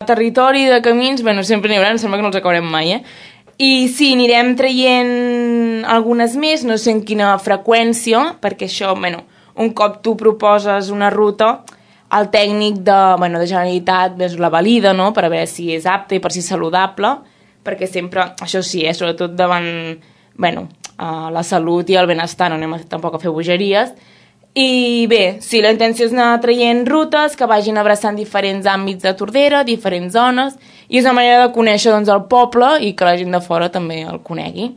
Territori de camins, bueno, sempre n'hi haurà, em sembla que no els acabarem mai, I sí, anirem traient algunes més, no sé en quina freqüència, perquè això, bueno, un cop tu proposes una ruta, el tècnic de Generalitat la valida, no?, per a veure si és apte i per si és saludable, perquè sempre, això sí, sobretot davant, la salut i el benestar, no anem tampoc a fer bogeries. I bé, sí, la intenció és anar traient rutes que vagin abraçant diferents àmbits de Tordera, diferents zones, i és una manera de conèixer el poble i que la gent de fora també el conegui.